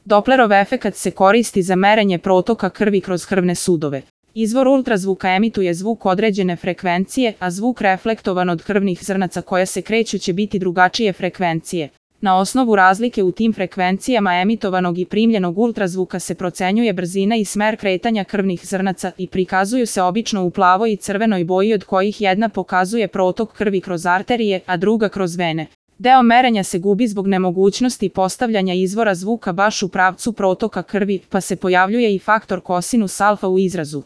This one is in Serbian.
Doplerov efekat se koristi za merenje protoka krvi kroz krvne sudove. Izvor ultrazvuka emituje zvuk određene frekvencije, a zvuk reflektovan od krvnih zrnaca koja se kreću će biti drugačije frekvencije. Na osnovu razlike u tim frekvencijama emitovanog i primljenog ultrazvuka se procenjuje brzina i smer kretanja krvnih zrnaca i prikazuju se obično u plavoj i crvenoj boji, od kojih jedna pokazuje protok krvi kroz arterije, a druga kroz vene. Deo merenja se gubi zbog nemogućnosti postavljanja izvora zvuka baš u pravcu protoka krvi, pa se pojavljuje i faktor kosinus alfa u izrazu.